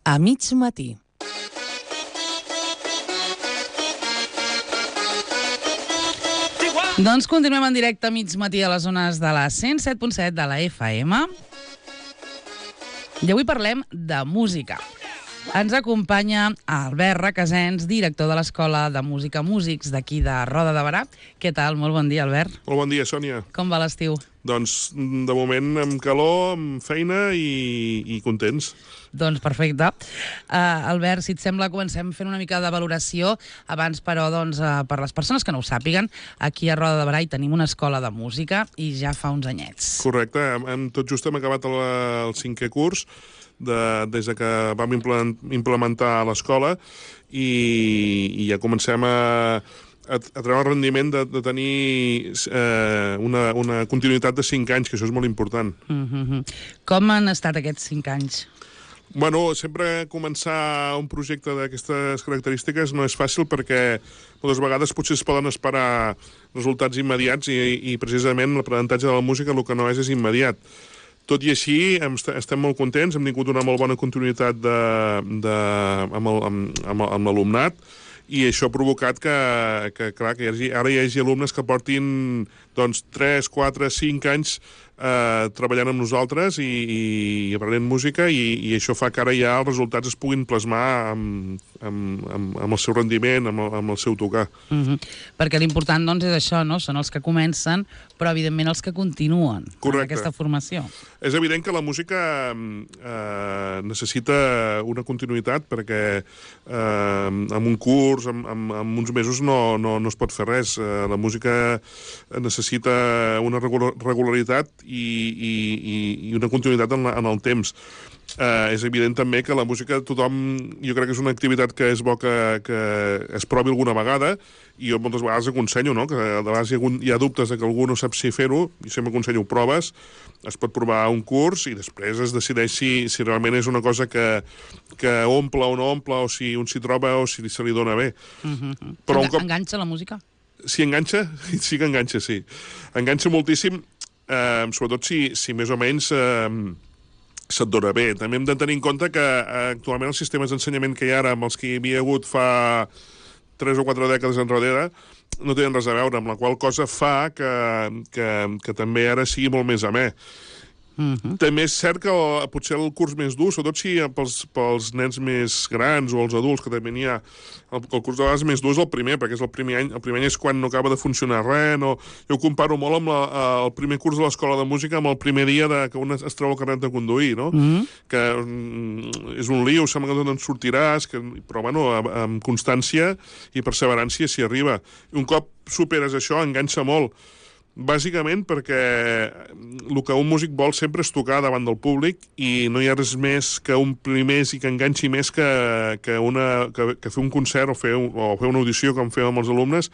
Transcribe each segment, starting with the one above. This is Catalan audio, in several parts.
A mig matí. Doncs continuem en directe a mig matí a les zones de la 107.7 de la FM. I avui parlem de música. Ens acompanya Albert Requesens, director de l'Escola de Música Músics d'aquí de Roda de Berà. Què tal? Molt bon dia, Albert. Molt bon dia, Sònia. Com va l'estiu? Doncs, de moment, amb calor, amb feina i contents. Doncs perfecte. Albert, si et sembla, comencem fent una mica de valoració. Abans, però, doncs, per les persones que no ho sàpiguen, aquí a Roda de Berà hi tenim una escola de música i ja fa uns anyets. Correcte. Tot just hem acabat el 5è curs des que vam implementar l'escola i ja comencem a treure el rendiment de tenir una continuïtat de 5 anys, que això és molt important. Com han estat aquests 5 anys? Bueno, sempre començar un projecte d'aquestes característiques no és fàcil perquè moltes vegades potser es poden esperar resultats immediats i precisament l'aprenentatge de la música el que no és immediat. Tot i així, estem molt contents, hem tingut una molt bona continuïtat amb l'alumnat i això ha provocat que ara hi hagi alumnes que portin 3, 4, 5 anys treballant amb nosaltres i aprenent música i això fa que ara ja els resultats es puguin plasmar amb el seu rendiment, amb el seu tocar. Perquè l'important doncs és això, no? Són els que comencen, però evidentment els que continuen en aquesta formació. És evident que la música necessita una continuïtat perquè amb un curs, amb uns mesos no es pot fer res. La música necessita una regularitat i una continuïtat en el temps. És evident també que la música jo crec que és una activitat que és bo que es provi alguna vegada i jo moltes vegades aconsello, no? Que a vegades hi ha dubtes de que algú no sap si fer-ho i sempre aconsello proves, es pot provar un curs i després es decideix si realment és una cosa que omple o no omple o si un s'hi troba o si se li dona bé. Però enganxa la música? Si enganxa, sí que enganxa, sí. Enganxa moltíssim, sobretot si més o menys se't dona bé. També hem de tenir en compte que actualment els sistemes d'ensenyament que hi ha ara amb els que hi havia hagut fa 3 o 4 dècades enrere no tenen res a veure, amb la qual cosa fa que també ara sigui molt més amè. També és cert que potser el curs més dur, sobretot si pels nens més grans o els adults, que també n'hi ha, el curs de vegades més dur és el primer, perquè és el primer any és quan no acaba de funcionar res. Jo ho comparo molt amb el primer curs de l'escola de música, amb el primer dia que un es treu el carnet de conduir, no? Que és un lío, sembla que no te'n sortiràs, però bueno, amb constància i perseverància s'hi arriba. I un cop superes això, enganxa molt. Bàsicament perquè el que un músic vol sempre és tocar davant del públic i no hi ha res més que omplir més i que enganxi més que fer un concert o fer una audició com fem amb els alumnes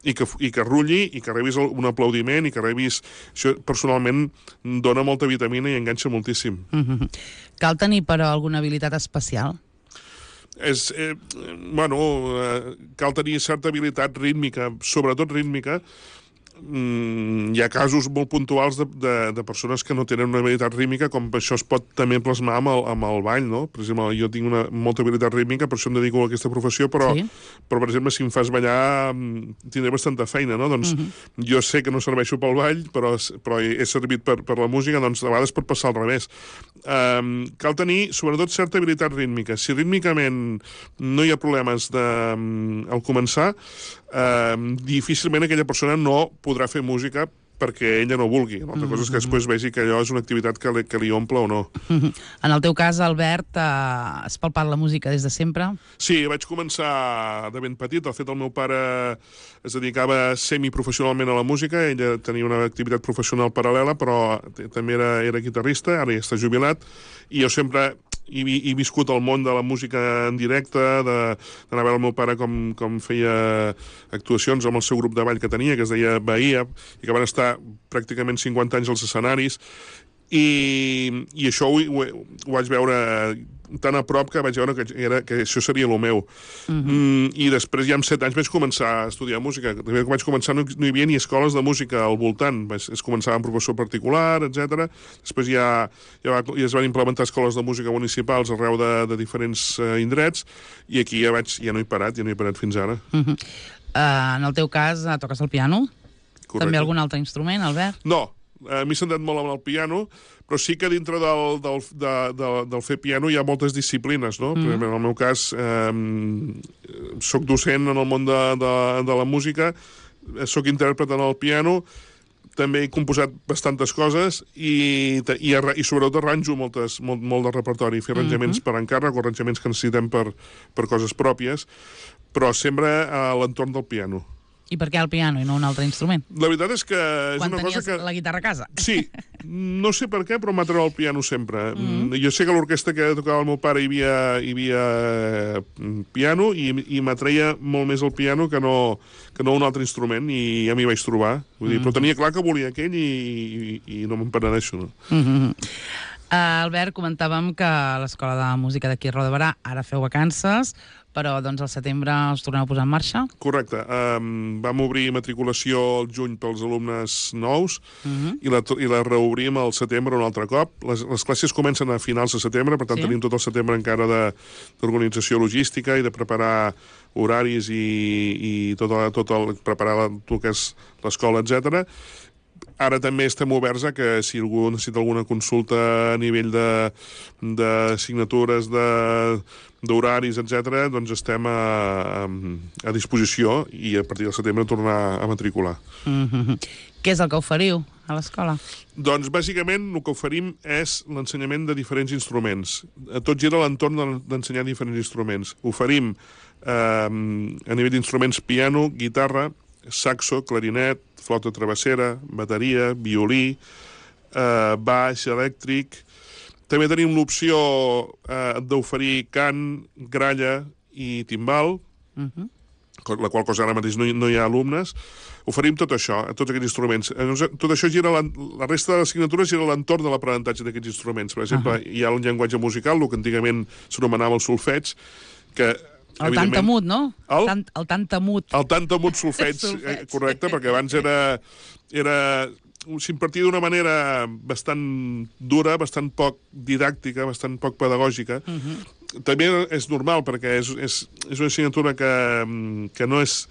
i que rulli i que rebis un aplaudiment i que rebis... Això personalment dona molta vitamina i enganxa moltíssim. Cal tenir, però, alguna habilitat especial? Cal tenir certa habilitat rítmica, sobretot rítmica. Hi ha casos molt puntuals de persones que no tenen una habilitat rítmica, com això es pot també plasmar amb el ball, no? Per exemple, jo tinc molta habilitat rítmica, per això em dedico a aquesta professió, però per exemple, si em fas ballar tindré bastanta feina, no? Doncs jo sé que no serveixo pel ball, però he servit per la música, doncs a vegades pot passar al revés. Cal tenir, sobretot, certa habilitat rítmica. Si rítmicament no hi ha problemes al començar, difícilment aquella persona no podrà fer música perquè ella no vulgui. L'altra cosa és que després vegi que allò és una activitat que li omple o no. En el teu cas, Albert, has palpat la música des de sempre? Sí, vaig començar de ben petit. De fet, el meu pare es dedicava semiprofessionalment a la música. Ella tenia una activitat professional paral·lela, però també era guitarrista, ara ja està jubilat, i jo sempre he viscut el món de la música en directe, d'anar a veure el meu pare com feia actuacions amb el seu grup de ball que tenia, que es deia Bahia, i que van estar pràcticament 50 anys als escenaris, I això ho vaig veure tan a prop que vaig veure que això seria el meu. I després, ja amb 7 anys, vaig començar a estudiar música. També que vaig començar no hi havia ni escoles de música al voltant. Es començava amb professor particular, etc. Després ja es van implementar escoles de música municipals arreu de diferents indrets, i aquí ja no he parat fins ara. En el teu cas, toques el piano? Correcte. També algun altre instrument, Albert? No, m'he centrat molt en el piano, però sí que dintre del fer piano hi ha moltes disciplines, no? En el meu cas, soc docent en el món de la música, soc intèrpret en el piano, també he composat bastantes coses i sobretot arranjo molt de repertori, fer arranjaments per encàrrec o arranjaments que necessitem per coses pròpies, però sempre a l'entorn del piano. I per què el piano i no un altre instrument? La veritat és que és Quan una cosa que... tenies la guitarra a casa. Sí, no sé per què, però m'ha tret el piano sempre. Jo sé que a l'orquestra que tocava el meu pare hi havia piano i m'atreia molt més el piano que no un altre instrument, i ja m'hi vaig trobar. Vull dir, però tenia clar que volia aquell i no me'n penedeixo, no? Albert, comentàvem que a l'Escola de Música d'aquí a Roda de Berà ara feu vacances, però doncs al setembre els torneu a posar en marxa? Correcte. Vam obrir matriculació al juny pels alumnes nous i la reobrim al setembre un altre cop. Les classes comencen a finals de setembre, per tant tenim tot el setembre encara d'organització logística i de preparar horaris i preparar el que és l'escola, etc. Ara també estem oberts a que si algú necessita alguna consulta a nivell de signatures, d'horaris, etc., doncs estem a disposició i a partir del setembre tornar a matricular. Què és el que oferiu a l'escola? Doncs bàsicament el que oferim és l'ensenyament de diferents instruments. Tot gira a l'entorn d'ensenyar diferents instruments. Oferim a nivell d'instruments piano, guitarra, saxo, clarinet, flauta travessera, bateria, violí, baix, elèctric. També tenim l'opció d'oferir cant, gralla i timbal, la qual cosa ara mateix no hi ha alumnes. Oferim tot això, tots aquests instruments. Tot això la resta de l'assignatures gira a l'entorn de l'aprenentatge d'aquests instruments. Per exemple, hi ha el llenguatge musical, el que antigament s'anomenava el solfeig, que el tantamut, no? El tantamut. El tantamut solfeig, correcte, perquè abans s'impartia d'una manera bastant dura, bastant poc didàctica, bastant poc pedagògica. També és normal, perquè és una assignatura que no és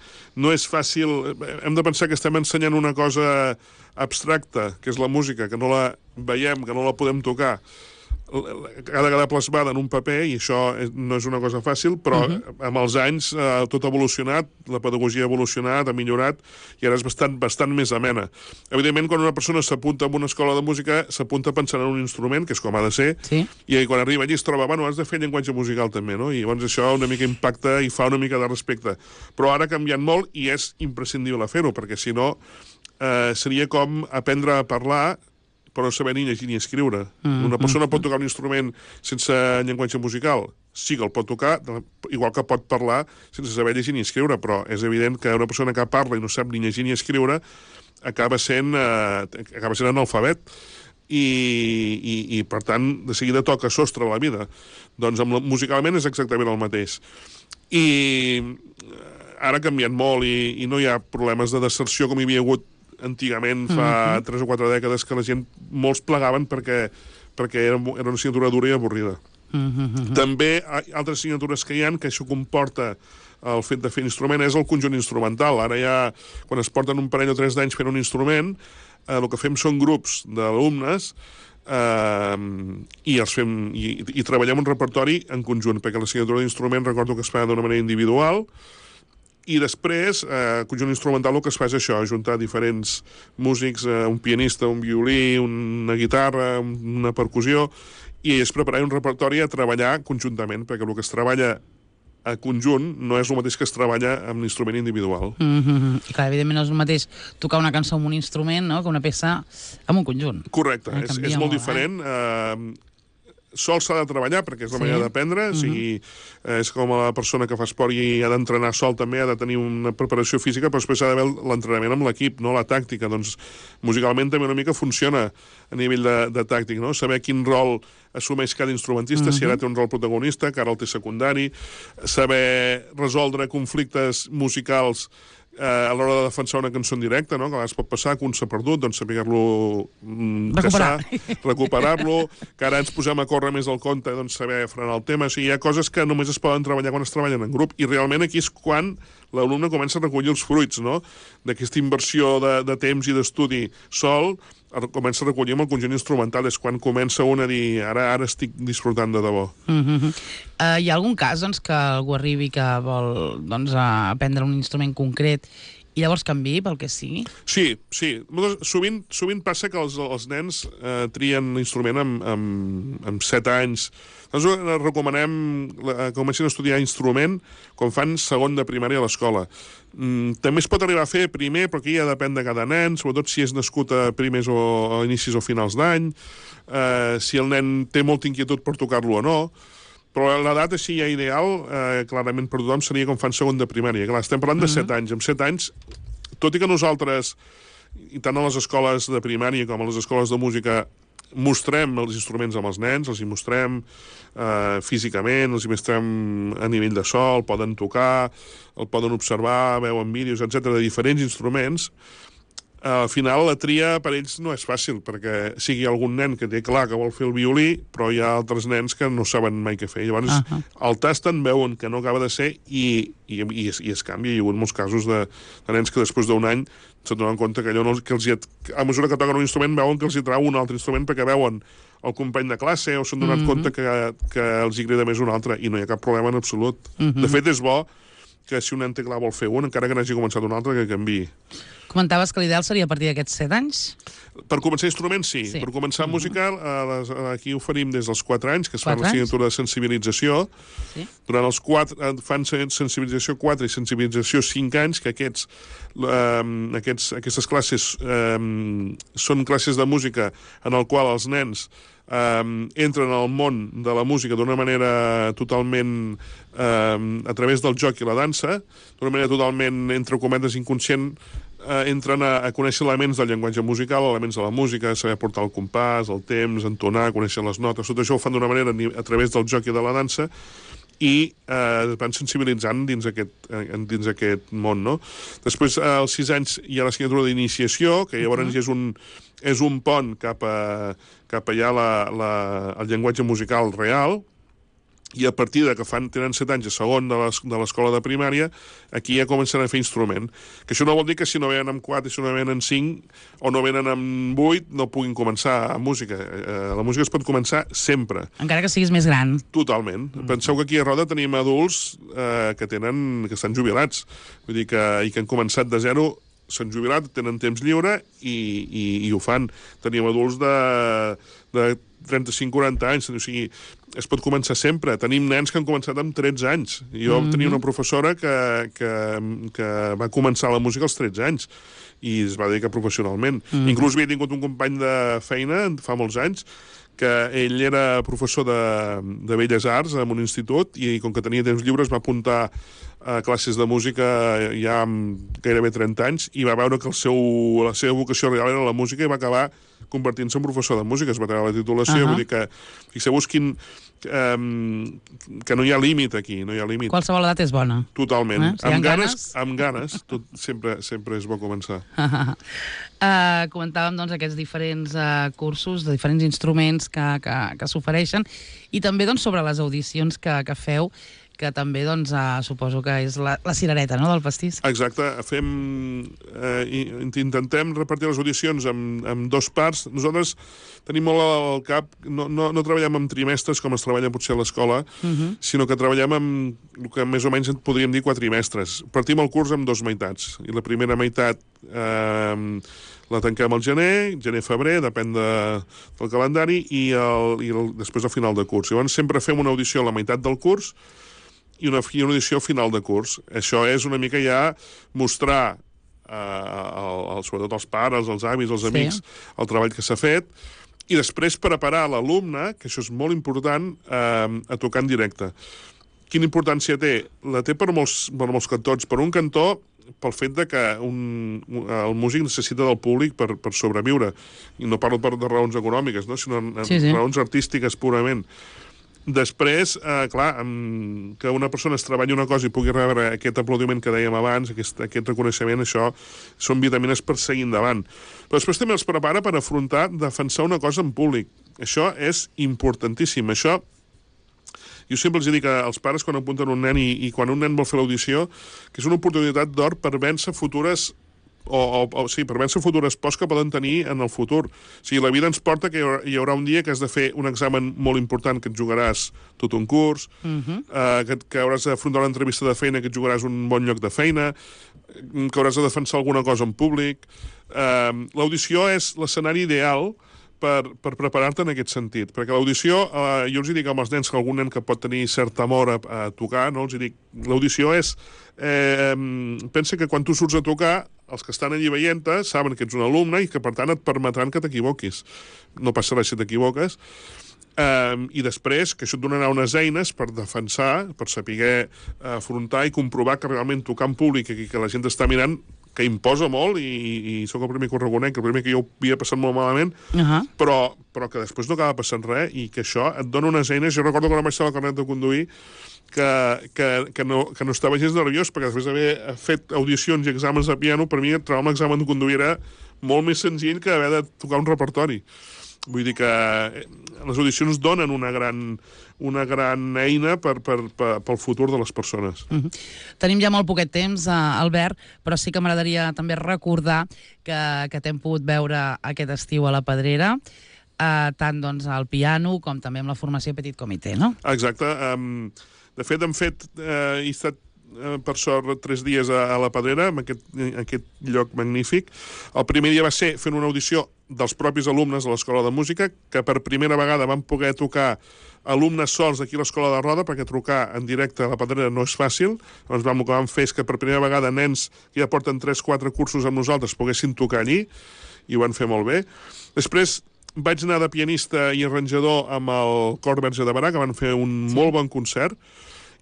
fàcil. Hem de pensar que estem ensenyant una cosa abstracta, que és la música, que no la veiem, que no la podem tocar. Ha de quedar plasmada en un paper i això no és una cosa fàcil, però amb els anys tot ha evolucionat, la pedagogia ha evolucionat, ha millorat i ara és bastant més amena. Evidentment, quan una persona s'apunta a una escola de música, s'apunta pensant en un instrument, que és com ha de ser, i quan arriba allí es troba, bueno, has de fer llenguatge musical també, no? I llavors això una mica impacta i fa una mica de respecte. Però ara ha canviat molt i és imprescindible fer-ho, perquè si no seria com aprendre a parlar però no saber ni llegir ni escriure. Una persona pot tocar un instrument sense llenguatge musical? Sí que el pot tocar, igual que pot parlar sense saber llegir ni escriure, però és evident que una persona que parla i no sap ni llegir ni escriure acaba sent analfabet. I per tant, de seguida toca sostre a la vida. Doncs musicalment és exactament el mateix. I ara ha canviat molt i no hi ha problemes de deserció com hi havia hagut antigament, fa 3 o 4 dècades, que la gent, molts plegaven perquè era una assignatura dura i avorrida. També altres assignatures que hi ha, que això comporta el fet de fer instrument, és el conjunt instrumental. Ara ja, quan es porten un parell o 3 d'anys fent un instrument, el que fem són grups d'alumnes i treballem un repertori en conjunt, perquè l'assignatura d'instrument recordo que es fa d'una manera individual. I després, conjunt instrumental, el que es fa és això, ajuntar diferents músics, un pianista, un violí, una guitarra, una percussió, i és preparar un repertori a treballar conjuntament, perquè el que es treballa a conjunt no és el mateix que es treballa amb l'instrument individual. I clar, evidentment no és el mateix tocar una cançó amb un instrument, no?, que una peça amb un conjunt. Correcte, és molt diferent. sol s'ha de treballar, perquè és la manera d'aprendre, o sigui, és com la persona que fa esport i ha d'entrenar sol també, ha de tenir una preparació física, però després ha d'haver l'entrenament amb l'equip, no la tàctica. Doncs musicalment també una mica funciona a nivell de tàctic, no? Saber quin rol assumeix cada instrumentista, si ara té un rol protagonista, que ara el té secundari, saber resoldre conflictes musicals a l'hora de defensar una cançó en directe, no? Que a vegades pot passar que un s'ha perdut, doncs saber-lo recuperar-lo, que ara ens posem a córrer més del compte, doncs saber frenar el tema. O sigui, hi ha coses que només es poden treballar quan es treballen en grup, i realment aquí és quan l'alumne comença a recollir els fruits, no? D'aquesta inversió de temps i d'estudi sol, comença a recollir amb el conjunt instrumental, és quan comença un a dir ara estic disfrutant de debò. Hi ha algun cas doncs, que algú arribi que vol doncs, aprendre un instrument concret i llavors canviï pel que sigui? Sí. Sovint passa que els nens trien l'instrument amb 7 anys. Nosaltres recomanem que comencin a estudiar instrument quan fan segon de primària a l'escola. També es pot arribar a fer primer, però aquí ja depèn de cada nen, sobretot si és nascut a primers o a inicis o finals d'any, si el nen té molta inquietud per tocar-lo o no. Però l'edat així ja ideal, clarament per tothom, seria com fan segon de primària. Clar, estem parlant de 7 anys. Amb 7 anys, tot i que nosaltres, i tant a les escoles de primària com a les escoles de música, mostrem els instruments amb els nens, els hi mostrem físicament, els hi mostrem a nivell de so, el poden tocar, el poden observar, veuen vídeos, etc de diferents instruments. Al final la tria per ells no és fàcil, perquè sigui algun nen que té clar que vol fer el violí, però hi ha altres nens que no saben mai què fer. Llavors el tasten, veuen que no acaba de ser i es canvia. Hi ha hagut molts casos de nens que després d'un any s'adonen compte que allò que a mesura que toquen un instrument veuen que els hi trau un altre instrument perquè veuen el company de classe o s'han donat compte que els hi agrada més un altre i no hi ha cap problema en absolut. De fet, és bo que si un nen té clar vol fer un, encara que n'hagi començat un altre, que canviï. Comentaves que l'ideal seria a partir d'aquests 7 anys? Per començar instruments, sí. Per començar música, aquí oferim des dels 4 anys, que es fan l'assignatura de sensibilització. Durant els 4, fan sensibilització 4 i sensibilització 5 anys, que aquestes classes són classes de música en el qual els nens entren al món de la música d'una manera totalment a través del joc i la dansa, d'una manera totalment, entre cometes, inconscient, entren a conèixer elements del llenguatge musical, elements de la música, saber portar el compàs, el temps, entonar, conèixer les notes. Tot això ho fan d'una manera a través del joc i de la dansa i es van sensibilitzant dins aquest món, no? Després, als 6 anys, hi ha l'assignatura d'iniciació, que llavors ja és un pont cap a ja el llenguatge musical real, i a partir de que tenen 7 anys a segon de l'escola de primària, aquí ja comencen a fer instrument. Que això no vol dir que si no venen amb 4, si no venen amb 5 o no venen amb 8, no puguin començar a música. La música es pot començar sempre. Encara que siguis més gran. Totalment. Penseu que aquí a Roda tenim adults que estan jubilats. Vull dir i que han començat de zero, s'han jubilat, tenen temps lliure i ho fan. Tenim adults de 35-40 anys, o sigui, es pot començar sempre. Tenim nens que han començat amb 13 anys. Jo tenia una professora que va començar la música als 13 anys i es va dedicar professionalment. Inclús havia tingut un company de feina fa molts anys que ell era professor de Belles Arts en un institut i com que tenia temps lliure es va apuntar a classes de música ja amb gairebé 30 anys i va veure que la seva vocació real era la música i va acabar convertint-se en professor de música, es va treure la titulació, vull dir que fixeu-vos que no hi ha límit aquí, no hi ha límit. Qualsevol edat és bona. Totalment. Si amb ganes, sempre és bo començar. Comentàvem doncs, aquests diferents cursos de diferents instruments que s'ofereixen i també doncs, sobre les audicions que feu, que també doncs, suposo que és la cirereta, no?, del pastís. Exacte. Intentem repartir les audicions en 2 parts. Nosaltres tenim molt al cap, no treballem en trimestres com es treballa potser a l'escola, sinó que treballem amb el que més o menys podríem dir quatrimestres. Partim el curs en 2 meitats. I la primera meitat la tanquem al gener-febrer, depèn del calendari, i després al final de curs. Llavors sempre fem una audició a la meitat del curs i una audició al final de curs. Això és una mica ja mostrar, sobretot als pares, als avis, als amics, el treball que s'ha fet, I després preparar l'alumne, que això és molt important, a tocar en directe. Quina importància té? La té per molts cantons. Per un cantó, pel fet de que el músic necessita del públic per sobreviure. I no parlo de raons econòmiques, no? Sinó raons artístiques purament. Després, clar, que una persona es treballi una cosa i pugui rebre aquest aplaudiment que dèiem abans, aquest reconeixement, això són vitamines per seguir endavant. Però després també els prepara per afrontar, defensar una cosa en públic. Això és importantíssim. Això, jo sempre els dic als pares quan apunten un nen i quan un nen vol fer l'audició, que és una oportunitat d'or per vèncer futures per vèncer futures pors que poden tenir en el futur. O sigui, la vida ens porta que hi haurà un dia que has de fer un examen molt important, que et jugaràs tot un curs, que hauràs d'afrontar una entrevista de feina, que et jugaràs un bon lloc de feina, que hauràs de defensar alguna cosa en públic. L'audició és l'escenari ideal per preparar-te en aquest sentit. Perquè l'audició, jo els dic als nens, que algun nen que pot tenir cert amor a tocar, no? Els dic, l'audició és... pensa que quan tu surts a tocar, els que estan allí veient-te saben que ets un alumne i que, per tant, et permetran que t'equivoquis. No passa res si t'equivoques. I després, que això et donarà unes eines per defensar, per saber afrontar i comprovar que realment tocar en públic i que la gent està mirant, que imposa molt, i sóc el primer que ho reconec, el primer que jo ho havia passat molt malament, però que després no acaba passant res, i que això et dona unes eines. Jo recordo quan vaig estar al carnet de conduir que no estava gens nerviós, perquè després d'haver fet audicions i exàmens de piano, per mi trobar un examen de conduir era molt més senzill que haver de tocar un repertori. Vull dir que les audicions donen una gran eina pel futur de les persones. Tenim ja molt poquet temps, Albert, però sí que m'agradaria també recordar que t'hem pogut veure aquest estiu a la Pedrera, tant al piano com també amb la formació Petit Comité, no? Exacte. De fet, he estat per sort 3 dies a la Pedrera, en aquest lloc magnífic. El primer dia va ser fent una audició dels propis alumnes de l'Escola de Música, que per primera vegada van poder tocar alumnes sols d'aquí a l'Escola de Roda, perquè trucar en directe a la Pedrera no és fàcil. Llavors el que vam fer és que per primera vegada nens que ja porten 3-4 cursos amb nosaltres poguessin tocar allí, i ho van fer molt bé. Després vaig anar de pianista i arranjador amb el Cor Verge de Berà, que van fer un molt bon concert.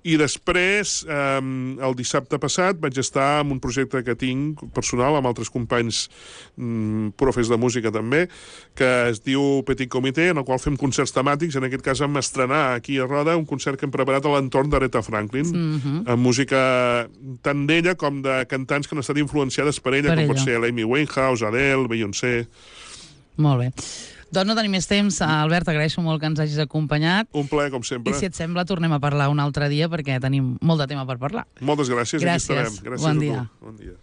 I després, el dissabte passat, vaig estar en un projecte que tinc personal amb altres companys profes de música també, que es diu Petit Comité, en el qual fem concerts temàtics. En aquest cas vam estrenar aquí a Roda un concert que hem preparat a l'entorn d'Aretha Franklin, amb música tant d'ella com de cantants que han estat influenciades per ella, com pot ser l'Amy Winehouse, Adele, Beyoncé... Molt bé. Doncs no tenim més temps. Albert, t'agraeixo molt que ens hagis acompanyat. Un plaer, com sempre. I si et sembla, tornem a parlar un altre dia, perquè tenim molt de tema per parlar. Moltes gràcies. Gràcies. Aquí estarem. Gràcies bon a dia. tu. Bon dia.